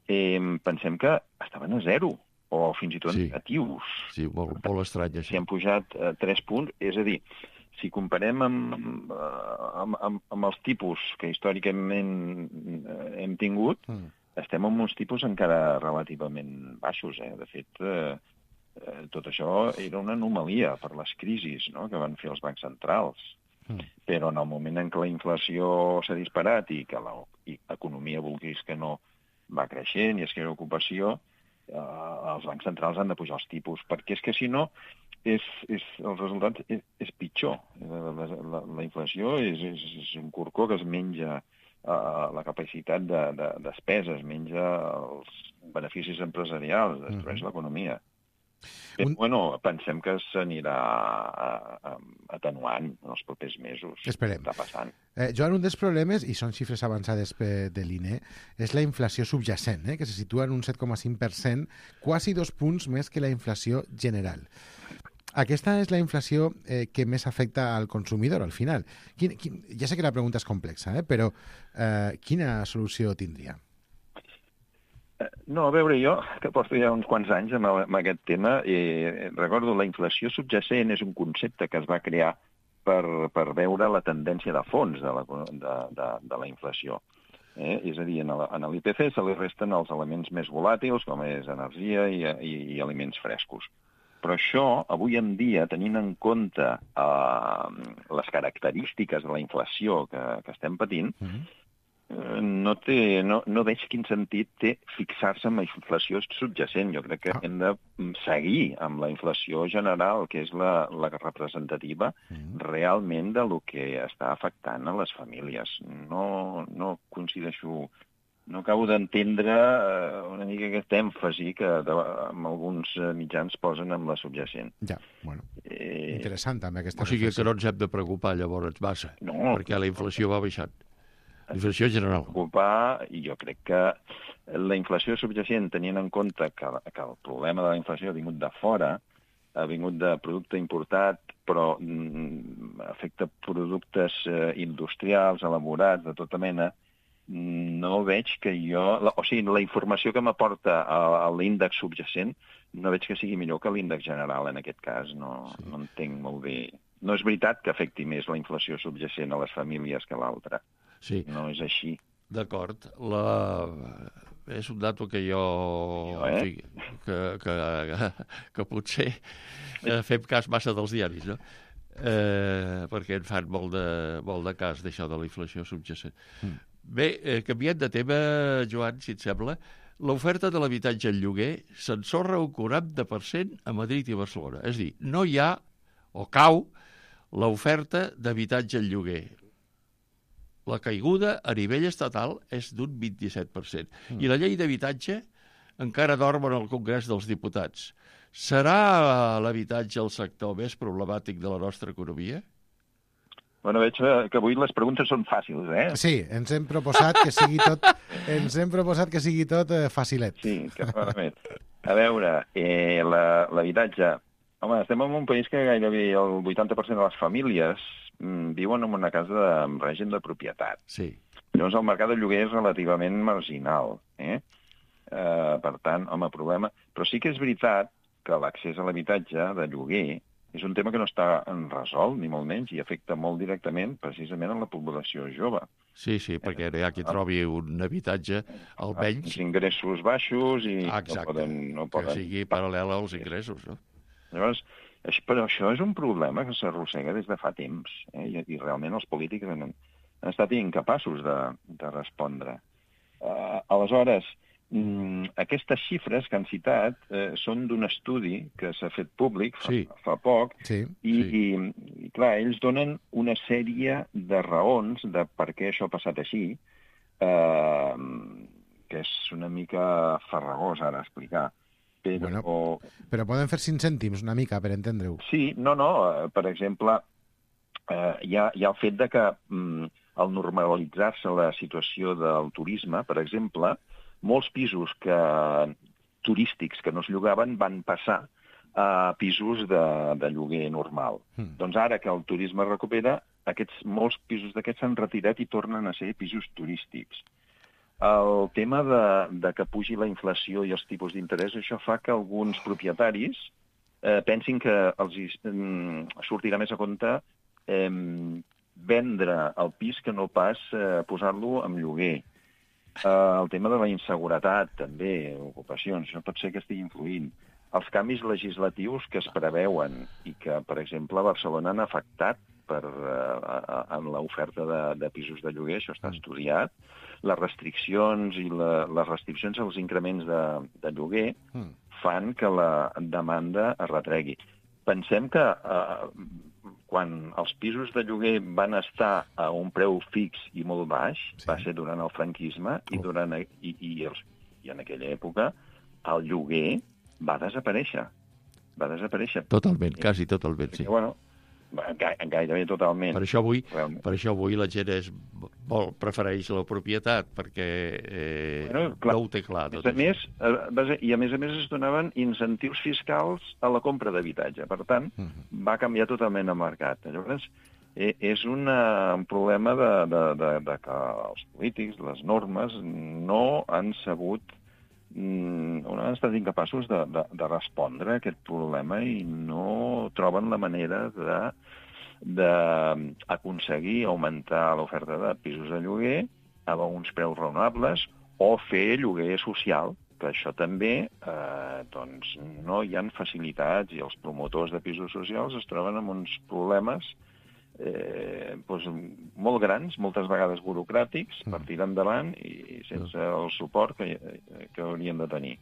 I: eh, pensem que estaven a zero, o fins i tot
G: Sí.
I: negatius.
G: Sí, molt, molt estrany,
I: Si
G: això.
I: han pujat eh, tres punts, és a dir, si comparem amb, amb, amb, amb els tipus que històricament eh, hem tingut,
B: Mm.
I: estem en uns tipus encara relativament baixos. Eh? De fet, eh, eh, tot això era una anomalia per les crisis, no?, que van fer els bancs centrals.
B: Mm.
I: Però en el moment en què la inflació s'ha disparat i que l'economia, vulguis que no, va creixent i es crea ocupació, eh, els bancs centrals han de pujar els tipus, perquè és que si no, és, és, el resultat és, és pitjor. La, la, la, la inflació és, és, és un corcó que es menja uh, la capacitat de, de despesa, es menja els beneficis empresarials, destrueix
B: Mhm.
I: l'economia. Però,
B: Un-
I: bueno, pensem que s'anirà a- a- atenuant en els propers mesos.
B: Esperem.
I: Està passant.
B: Eh, Joan, un dels problemes, i són xifres avançades pe- de l'I N E, és la inflació subjacent, eh, que se situa en un set coma cinc per cent, quasi dos punts més que la inflació general. Aquesta és la inflació eh, que més afecta al consumidor, al final. Quin, quin, ja sé que la pregunta és complexa, eh, però eh, quina solució tindria?
I: No, a veure, jo, que porto ja uns quants anys amb, amb aquest tema, eh, recordo, la inflació subjacent és un concepte que es va crear per, per veure la tendència de fons de la, de, de, de la inflació. Eh? És a dir, en l'I P C se li resten els elements més volàtils, com és energia i, i, i aliments frescos. Però això, avui en dia, tenint en compte eh, les característiques de la inflació que, que estem patint,
B: Mm-hmm.
I: eh, no, té, no, no veig quin sentit té fixar-se en la inflació subjacent. Jo crec que
B: Ah.
I: hem de seguir amb la inflació general, que és la, la representativa
B: Mm-hmm.
I: realment de lo que està afectant a les famílies. No, no coincideixo... No acabo d'entendre eh, una mica aquest èmfasi que de, amb alguns eh, mitjans posen amb la subjacent.
B: Ja, bueno,
I: Eh,
B: interessant també aquesta
G: O sigui que
B: reflexió.
G: no ens hem de preocupar llavors massa,
I: No.
G: perquè la inflació va baixant. La inflació general.
I: preocupar, i jo crec que la inflació subjacent, tenint en compte que, que el problema de la inflació ha vingut de fora, ha vingut de producte importat, però mm, afecta productes eh, industrials, elaborats, de tota mena, no veig que jo... La, o sigui, la informació que m'aporta a, a l'índex subjacent no veig que sigui millor que l'índex general en aquest cas. No, sí. no entenc molt bé. No és veritat que afecti més la inflació subjacent a les famílies que l'altra.
G: Sí,
I: No és així.
G: d'acord. La... És un dato que jo...
I: Jo, eh?
G: en fi, que, que, que potser eh, fem cas massa dels diaris, no? eh, perquè en fan molt de, molt de cas d'això de la inflació subjacent. Mm. Bé, eh, canviant de tema, Joan, si et sembla, l'oferta de l'habitatge en lloguer s'ensorra un quaranta per cent a Madrid i Barcelona. És a dir, no hi ha, o cau, l'oferta d'habitatge en lloguer. La caiguda a nivell estatal és d'un vint-i-set per cent. Mm. I la llei d'habitatge encara dorm en el Congrés dels Diputats. Serà l'habitatge el sector més problemàtic de la nostra economia?
I: Bueno, veig que avui les preguntes són fàcils, eh?
B: Sí, ens hem proposat que sigui tot, ens hem proposat que sigui tot eh, facilet.
I: Sí, que clarament. A veure, eh, l'habitatge... Home, estem en un país que gairebé el vuitanta per cent de les famílies mm, viuen en una casa de, en règim de propietat.
G: Sí.
I: Llavors el mercat de lloguer és relativament marginal, eh? Uh, per tant, home, problema... Però sí que és veritat que l'accés a l'habitatge de lloguer és un tema que no està resolt, ni molt menys, i afecta molt directament, precisament, a la població jove.
G: Sí, sí, perquè hi ha qui trobi un habitatge, almenys...
I: Els ingressos baixos i
G: Exacte,
I: no poden... No poden...
G: que sigui paral·lel als ingressos, no?
I: Llavors, però això és un problema que s'arrossega des de fa temps, eh? I, i realment els polítics han, han estat incapaços de, de respondre. Uh, aleshores, mm, aquestes xifres que han citat eh, són d'un estudi que s'ha fet públic fa,
G: sí.
I: fa poc,
B: sí.
I: I,
G: Sí.
I: i, i clar, ells donen una sèrie de raons de per què això ha passat així, eh, que és una mica farragós ara explicar. Però...
B: Bueno, però poden fer cinc cèntims una mica per entendre-ho.
I: Sí, no, no, eh, per exemple, eh, hi, ha, hi ha el fet de que mm, al normalitzar-se la situació del turisme, per exemple, molts pisos que, turístics que no es llogaven van passar a pisos de, de lloguer normal. Mm. Doncs ara que el turisme recupera, aquests, molts pisos d'aquests s'han retirat i tornen a ser pisos turístics. El tema de, de que pugi la inflació i els tipus d'interès, això fa que alguns propietaris eh, pensin que els mm, sortirà més a compte eh, vendre el pis que no pas eh, posar-lo en lloguer. Uh, el tema de la inseguretat, també, ocupacions, això pot ser que estigui influint. Els canvis legislatius que es preveuen i que, per exemple, a Barcelona han afectat per, uh, en l'oferta de, de pisos de lloguer, això està estudiat, les restriccions i la, les restriccions als increments de, de lloguer fan que la demanda es retregui. Pensem que uh, quan els pisos de lloguer van estar a un preu fix i molt baix, sí. va ser durant el franquisme, oh. i, durant, i, i, els, i en aquella època el lloguer va desaparèixer. Va desaparèixer.
G: Totalment, quasi totalment, sí.
I: Perquè, bueno, gairebé totalment.
G: Per això avui, per això avui la gent és, vol, prefereix la propietat, perquè eh, bueno, clar, no ho té clar. Tot
I: a més, a, I a més a més es donaven incentius fiscals a la compra d'habitatge. Per tant, uh -huh. va canviar totalment el mercat. Llavors, eh, és una, un problema de, de, de, de que els polítics, les normes, no han sabut no han estat incapaços de, de, de respondre a aquest problema i no troben la manera de d'aconseguir augmentar l'oferta de pisos de lloguer a uns preus raonables o fer lloguer social, que això també eh, doncs no hi ha facilitats i els promotors de pisos socials es troben amb uns problemes Eh, doncs, molt grans, moltes vegades burocràtics, per tirar endavant i sense el suport que, que haurien de tenir.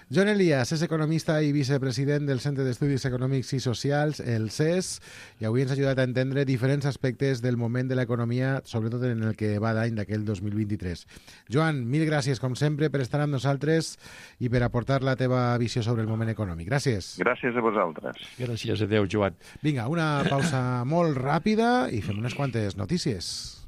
B: Joan Elias és economista i vicepresident del Centre d'Estudis Econòmics i Socials, el C E S, i avui ens ha ajudat a entendre diferents aspectes del moment de l'economia, sobretot en el que va d'any d'aquell dos mil vint-i-tres. Joan, mil gràcies, com sempre, per estar amb nosaltres i per aportar la teva visió sobre el moment econòmic. Gràcies.
I: Gràcies a vosaltres.
G: Gràcies, adeu, Joan.
B: Vinga, una pausa molt ràpida i fem unes quantes notícies.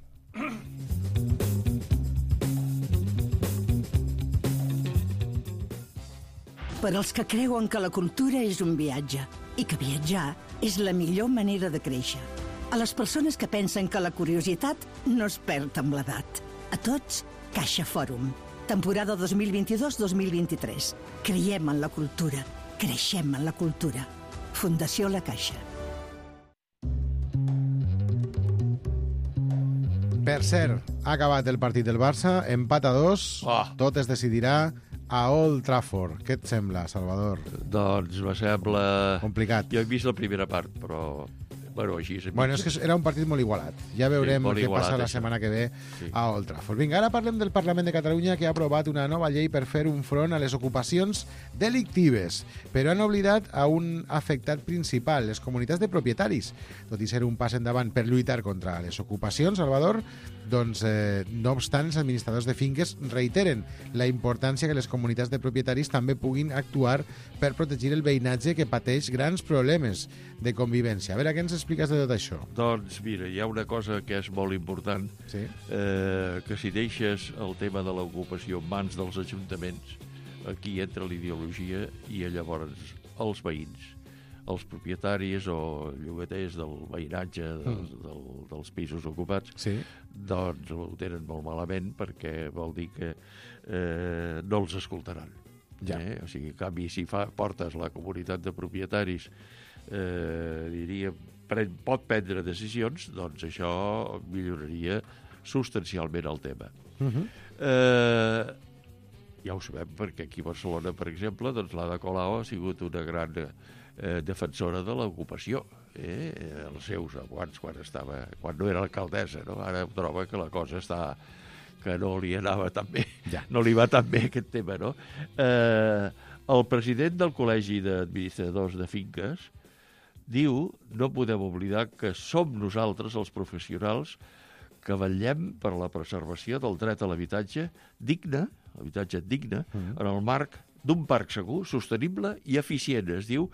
H: Per als que creuen que la cultura és un viatge i que viatjar és la millor manera de créixer. A les persones que pensen que la curiositat no es perd amb l'edat. A tots, Caixa Fòrum. Temporada dos mil vint-i-dos dos mil vint-i-tres. Creiem en la cultura. Creixem en la cultura. Fundació La Caixa.
B: Per cert, ha acabat el partit del Barça, empat a dos, oh. Tot es decidirà a Old Trafford. Què et sembla, Salvador?
G: Doncs me sembla...
B: Complicat.
G: Jo he vist la primera part, però Bueno, així és.
B: Bueno, és que era un partit molt igualat. Ja veurem
G: molt
B: què
G: igualat,
B: passa la
G: això.
B: setmana que ve
G: Sí.
B: a Old Trafford. Vinga, ara parlem del Parlament de Catalunya, que ha aprovat una nova llei per fer un front a les ocupacions delictives, però han oblidat a un afectat principal, les comunitats de propietaris. Tot i ser un pas endavant per lluitar contra les ocupacions, Salvador, doncs, eh, no obstant, els administradors de finques reiteren la importància que les comunitats de propietaris també puguin actuar per protegir el veïnatge que pateix grans problemes de convivència. A veure, què ens expliques de tot això?
G: Doncs mira, hi ha una cosa que és molt important,
B: Sí.
G: eh, que si deixes el tema de l'ocupació en mans dels ajuntaments, aquí entra l'ideologia i llavors els veïns, els propietaris o llogaters del veïnatge dels,
B: Mm.
G: del, dels pisos ocupats,
B: Sí.
G: doncs ho tenen molt malament perquè vol dir que eh, no els escoltaran.
B: Ja.
G: Eh? O sigui, en canvi, si fa, portes la comunitat de propietaris, eh, diria, pren, pot prendre decisions, doncs això milloraria substancialment el tema.
B: Uh -huh.
G: Eh, ja ho sabem, perquè aquí a Barcelona, per exemple, doncs l'Ada Colau ha sigut una gran eh, defensora de l'ocupació. Eh? Els seus, abans, quan, estava, quan no era alcaldessa, no? Ara troba que la cosa està que no li anava tan bé,
B: Ja.
G: no li va tan bé aquest tema, no? Eh, el president del Col·legi d'Administradors de Finques diu, no podem oblidar que som nosaltres, els professionals, que vetllem per la preservació del dret a l'habitatge digne, l'habitatge digne,
B: Mm.
G: en el marc d'un parc segur, sostenible i eficient, es diu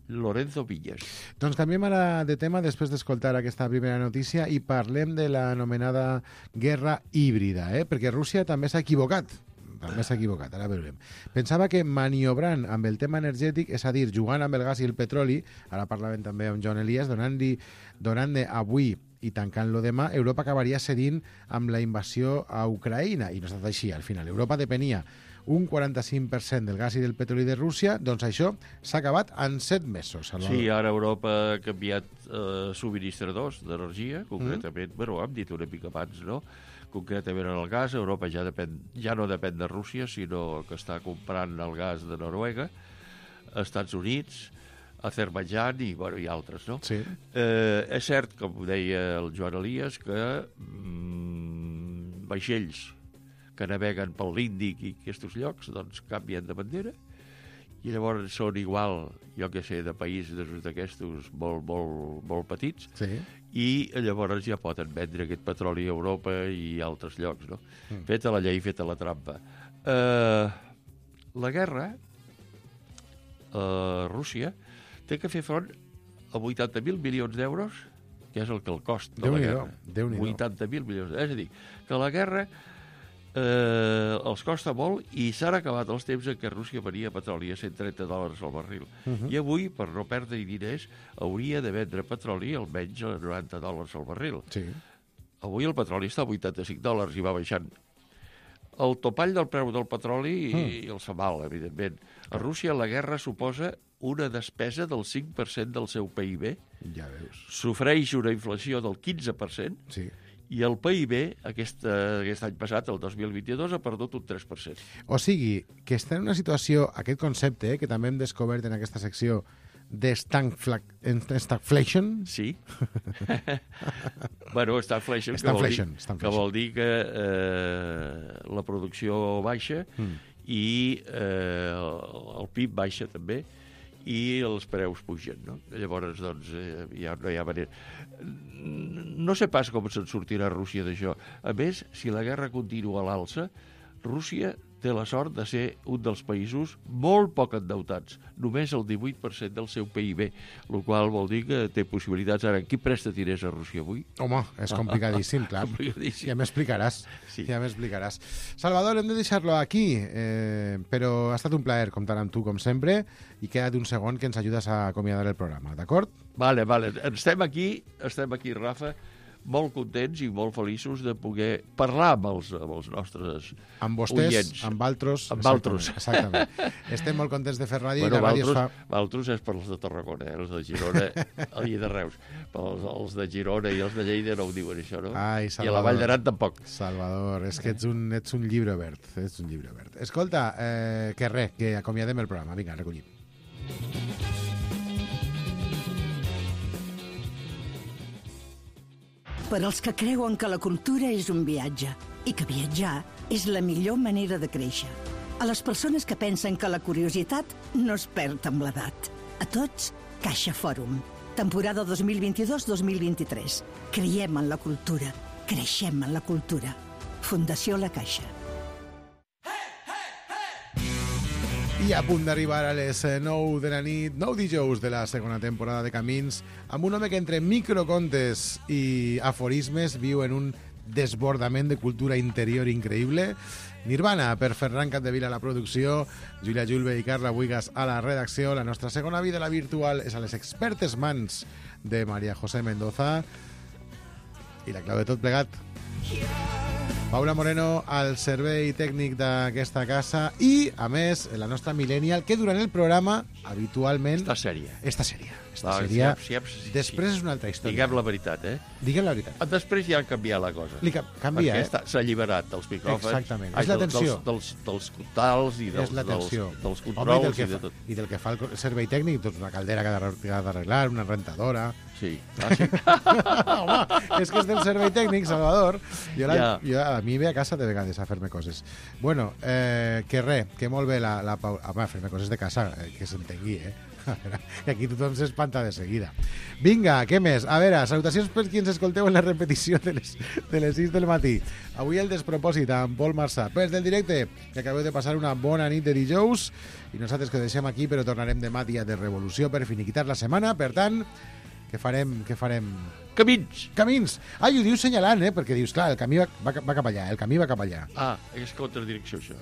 G: Lorenzo Villas.
B: Doncs canviem ara de tema després d'escoltar aquesta primera notícia i parlem de l'anomenada guerra híbrida, eh? Perquè Rússia també s'ha equivocat. També s'ha equivocat, ara veurem. Pensava que maniobrant amb el tema energètic, és a dir, jugant amb el gas i el petroli, ara parlàvem també amb Joan Elias, donant-li donant-ne avui i tancant-lo demà, Europa acabaria cedint amb la invasió a Ucraïna. I no ha estat així, al final. Europa depenia un quaranta-cinc per cent del gas i del petroli de Rússia, doncs això s'ha acabat en set mesos. Salvador.
G: Sí, ara Europa ha canviat eh, subministradors d'energia, concretament, mm. bueno, hem dit una mica abans, no? Concretament en el gas, Europa ja, depèn, ja no depèn de Rússia, sinó que està comprant el gas de Noruega, Estats Units, Azerbaidjan i, bueno, i altres, no?
B: Sí.
G: Eh, és cert, com deia el Joan Elias, que mm, vaixells que naveguen pel l'Índic i aquests llocs, doncs canvien de bandera i llavors són igual, jo què sé, de països d'aquestos molt, molt, molt petits,
B: Sí.
G: i llavors ja poden vendre aquest petroli a Europa i a altres llocs, no?
B: Mm.
G: Feta la llei, feta la trampa. Eh, la guerra a Rússia té que fer front a vuitanta mil milions d'euros, que és el que el cost de la
B: Déu-n'hi-do,
G: guerra.
B: Déu-n'hi-do.
G: vuitanta mil milions. És a dir, que la guerra eh, els costa molt i s'han acabat els temps en què Rússia venia petroli a cent trenta dòlars al barril.
B: Uh -huh.
G: I avui, per no perdre diners, hauria de vendre petroli almenys a noranta dòlars al barril.
B: Sí.
G: Avui el petroli està a vuitanta-cinc dòlars i va baixant. El topall del preu del petroli mm. i el Samal, evidentment. A Rússia la guerra suposa una despesa del cinc per cent del seu P I B,
B: Ja veus.
G: sofreix una inflació del quinze per cent
B: Sí.
G: i el P I B aquest, aquest any passat, el dos mil vint-i-dos, ha perdut un tres per cent.
B: O sigui, que està en una situació, aquest concepte, eh, que també hem descobert en aquesta secció, de stagflation.
G: Sí. bueno, stagflation, que, vol dir,
B: Stagflation,
G: que
B: stagflation.
G: vol dir que eh, la producció baixa
B: Mm.
G: i eh, el P I B baixa també i els preus pugen, no? Llavors, doncs, eh, ja no hi ha manera. No sé pas com se'n sortirà Rússia d'això. A més, si la guerra continua a l'alça, Rússia té la sort de ser un dels països molt poc endeutats, només el divuit per cent del seu P I B, el qual vol dir que té possibilitats. Ara, qui presta diners a Rússia avui?
B: Home, és complicadíssim, clar.
G: Complicadíssim.
B: Ja m'explicaràs.
G: Sí.
B: Ja m'explicaràs. Salvador, hem de deixar-lo aquí, eh, però ha estat un plaer comptar amb tu, com sempre, i queda't un segon que ens ajudes a acomiadar el programa, d'acord?
G: Vale, vale. Estem aquí, estem aquí, Rafa, molt contents i molt feliços de poder parlar amb els, amb els nostres
B: Amb vostès,
G: oients.
B: amb altres...
G: Amb altres.
B: Exactament. Estem molt contents de fer ràdio
G: Bueno,
B: i la ràdio es
G: Valtros,
B: fa...
G: Valtros és per als de Tarragona, eh? Els de Girona i de Reus. Els, els de Girona i els de Lleida no ho diuen, això, no?
B: Ai,
G: I a la
B: Salvador.
G: Vall d'Aran tampoc.
B: Salvador, és que ets un, ets un llibre obert. Ets un llibre obert. Escolta, eh, que res, que acomiadem el programa. Vinga, recollim.
H: Per als que creuen que la cultura és un viatge i que viatjar és la millor manera de créixer. A les persones que pensen que la curiositat no es perd amb l'edat. A tots, Caixa Fòrum. Temporada dos mil vint-i-dos dos mil vint-i-tres. Creiem en la cultura. Creixem en la cultura. Fundació La Caixa.
B: I a punt d'arribar a les nou de la nit, nou dijous de la segona temporada de Camins, amb un home que entre microcontes i aforismes viu en un desbordament de cultura interior increïble. Nirvana, per Ferran Capdevila a la producció, Júlia Julve i Carla Buigas a la redacció. La nostra segona vida, la virtual, és a les expertes mans de María José Mendoza. I la clau de tot plegat, Paula Moreno al servei tècnic d'aquesta casa i, a més, la nostra millennial, que durant el programa, habitualment...
G: Està sèria.
B: Està sèria. Està
G: No,
B: sèria.
G: si hem- si hem-
B: Després
G: sí.
B: és una altra història.
G: Diguem la veritat, eh?
B: Diguem la veritat.
G: Després ja ha canviat la cosa.
B: Li ca- canvia,
G: Perquè
B: eh?
G: està- s'ha alliberat dels micròfons.
B: Exactament.
G: Ai,
B: És la
G: del-
B: tensió.
G: Dels, dels, dels contals i dels,
B: És la tensió.
G: dels, dels
B: Home, i del
G: controls
B: que
G: i de
B: fa,
G: tot.
B: I del que fa el servei tècnic, doncs una caldera que ha de- que ha d'arreglar, una rentadora...
G: Sí. Ah, sí?
B: Home, és que és del servei tècnic, Salvador. Jo, la,
G: Ja.
B: jo a mi ve a casa de vegades a fer-me coses. Bueno, eh, que res, que molt bé la, la Paula... Home, fer-me coses de casa, eh, que s'entengui, eh? A veure, que aquí tothom s'espanta de seguida. Vinga, què més? A veure, salutacions per qui ens escolteu en la repetició de les, de les sis del matí. Avui el despropòsit amb Pol Marsà. Pes del directe, que acabeu de passar una bona nit de dijous i nosaltres que deixem aquí, però tornarem demà dia de revolució per finiquitar la setmana. Per tant, què farem? Què farem?
G: Camins!
B: Camins! Ah, i ho dius senyalant, eh? Perquè dius, clar, el camí va, va, va cap allà, el camí va cap allà.
G: Ah, és contradirecció, això.